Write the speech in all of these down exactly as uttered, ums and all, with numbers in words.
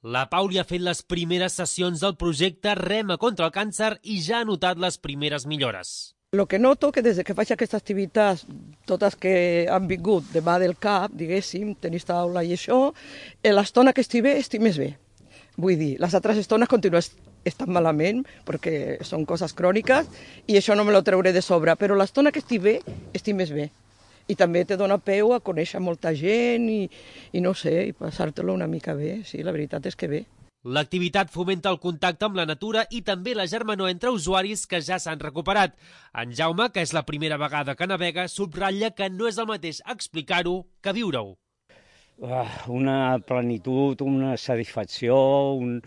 La Pauli ha fet les primeres sessions del projecte Rema contra el càncer i ja ha notat les primeres millores. Lo que noto que des que faig aquestes activitats, totes que han vingut de mà del cap, diguéssim, tenis taula i això, l'estona que estic bé, estic més bé. Vull dir, les altres estones continuen estant malament, perquè són coses cròniques, i això no me lo treuré de sobre, però l'estona que estic bé, estic més bé. I també te dona peu a conèixer molta gent i, i no sé, i passar-te-lo una mica bé, sí, la veritat és que bé. L'activitat fomenta el contacte amb la natura i també la germanor entre usuaris que ja s'han recuperat. En Jaume, que és la primera vegada que navega, subratlla que no és el mateix explicar-ho que viure-ho. Una plenitud, una satisfacció, un...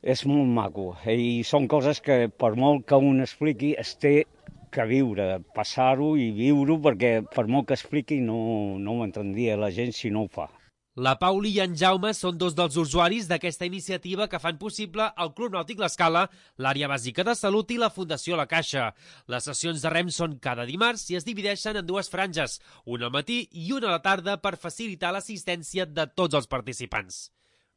és molt maco. I són coses que, per molt que un expliqui, es té que viure, passar-ho i viure-ho, perquè per molt que expliqui no, no ho entendria la gent si no ho fa. La Pauli i en Jaume són dos dels usuaris d'aquesta iniciativa que fan possible el Club Nàutic L'Escala, l'Àrea Bàsica de Salut i la Fundació La Caixa. Les sessions de rem són cada dimarts i es divideixen en dues franges, una al matí i una a la tarda per facilitar l'assistència de tots els participants.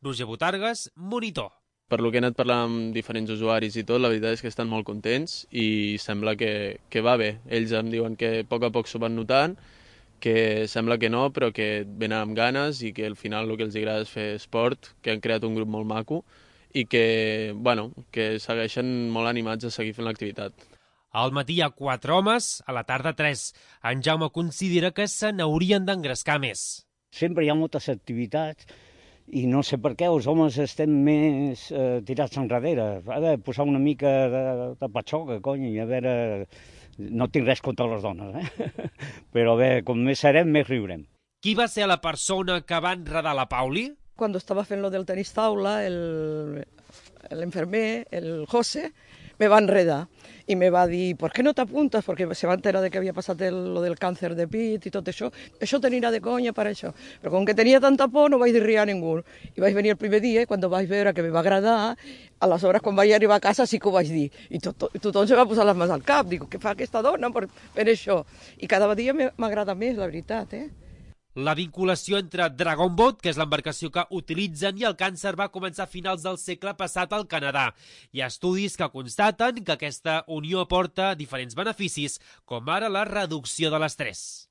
Roger Botargues, Monitor. Per lo que he anat parlant amb diferents usuaris i tot, la veritat és que estan molt contents i sembla que, que va bé. Ells em diuen que a poc a poc s'ho van notant, que sembla que no, però que venen amb ganes i que al final el que els agrada és fer esport, que han creat un grup molt maco i que, bueno, que segueixen molt animats a seguir fent l'activitat. Al matí hi ha quatre homes, a la tarda tres. En Jaume considera que se n'haurien d'engrescar més. Sempre hi ha moltes activitats i no sé per què els homes estem més eh, tirats enrere. Ha de posar una mica de, de patxoca, cony, i a veure... No tinc res contra les dones, eh? Però bé, com més serem, més riurem. Qui va ser la persona que va enredar la Pauli? Quan estava fent lo del tenis taula, l'enfermer, el, el José, me va enredar i me va dir, ¿por qué no t'apuntes? Perquè se va enterar de que havia passat el, lo del càncer de pit i tot això. Això t'anirà de conya per això. Però com que tenia tanta por, no vaig dir res a ningú. I vaig venir el primer dia i quan vaig veure que me va agradar, aleshores quan vaig arribar a casa sí que ho vaig dir. I tot, tot, tothom se va posar les mans al cap. Dic, què fa aquesta dona per, per això? I cada dia m'agrada més, la veritat, eh? La vinculació entre Dragon Boat, que és l'embarcació que utilitzen, i el càncer va començar a finals del segle passat al Canadà. Hi ha estudis que constaten que aquesta unió aporta diferents beneficis, com ara la reducció de l'estrès.